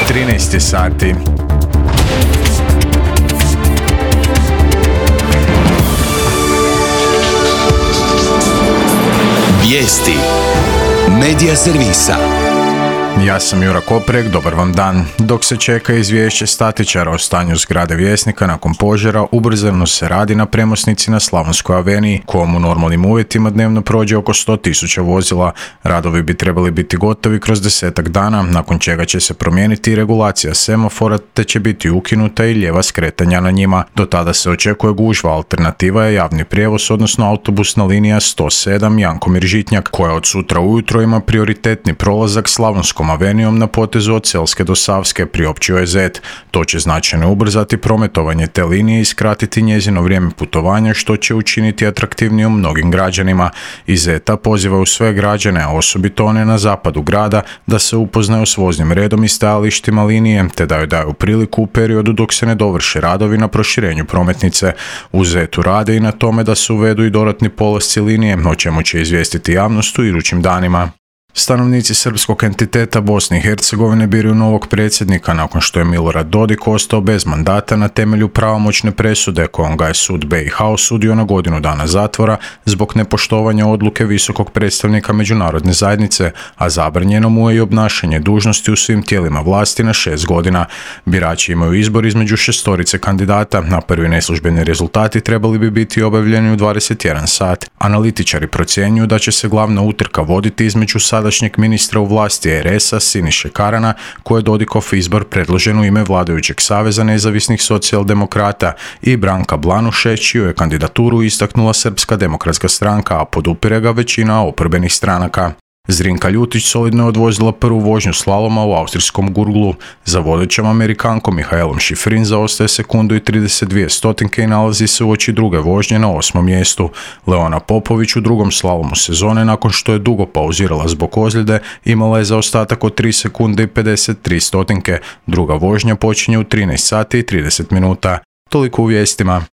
13 sati. Vijesti Medija servisa. Ja sam Jura Koprek, dobar vam dan. Dok se čeka izvješće statičara o stanju zgrade Vjesnika nakon požara, ubrzano se radi na premosnici na Slavonskoj aveniji, kojom u normalnim uvjetima dnevno prođe oko 100.000 vozila. Radovi bi trebali biti gotovi kroz 10 dana, nakon čega će se promijeniti regulacija semafora, te će biti ukinuta i lijeva skretanja na njima. Do tada se očekuje gužva, alternativa je javni prijevoz, odnosno autobusna linija 107 Jankomir-Žitnjak, koja od sutra ujutro ima prioritetni prolazak Slavonskom avenijom na potezu od Selske do Savske, priopćio je Zet. To će značajno ubrzati prometovanje te linije i skratiti njezino vrijeme putovanja, što će učiniti atraktivnijom mnogim građanima. Iz Zeta pozivaju sve građane, a osobito one na zapadu grada, da se upoznaju s voznim redom i stajalištima linije, te da joj daju priliku u periodu dok se ne dovrše radovi na proširenju prometnice. U Zetu rade i na tome da se uvedu i dodatni polasci linije, o čemu će izvijestiti javnost u idućim danima. Stanovnici srpskog entiteta Bosne i Hercegovine biraju novog predsjednika nakon što je Milorad Dodik ostao bez mandata na temelju pravomoćne presude kojom ga je sud BiH osudio na 1 godinu dana zatvora zbog nepoštovanja odluke visokog predstavnika međunarodne zajednice, a zabranjeno mu je i obnašanje dužnosti u svim tijelima vlasti na 6 godina. Birači imaju izbor između 6 kandidata, a prvi neslužbeni rezultati trebali bi biti objavljeni u 21 sat. Analitičari procjenjuju da će se glavna utrka voditi između sadašnjeg ministra u vlasti RS-a Siniše Karana, koji je Dodikov izbor predložen u ime vladajućeg Saveza nezavisnih socijaldemokrata, i Branka Blanuše, čiju je kandidaturu istaknula Srpska demokratska stranka, a podupire ga većina oporbenih stranaka. Zrinka Ljutić solidno je odvozila prvu vožnju slaloma u austrijskom Gurglu. Za vodećom Amerikankom Mihaelom Šifrin zaostaje sekundu i 32 stotinke i nalazi se uoči druge vožnje na 8. mjestu. Leona Popović u drugom slalomu sezone, nakon što je dugo pauzirala zbog ozljede, imala je zaostatak od 3 sekunde i 53 stotinke. Druga vožnja počinje u 13 sati i 30 minuta. Toliko u vijestima.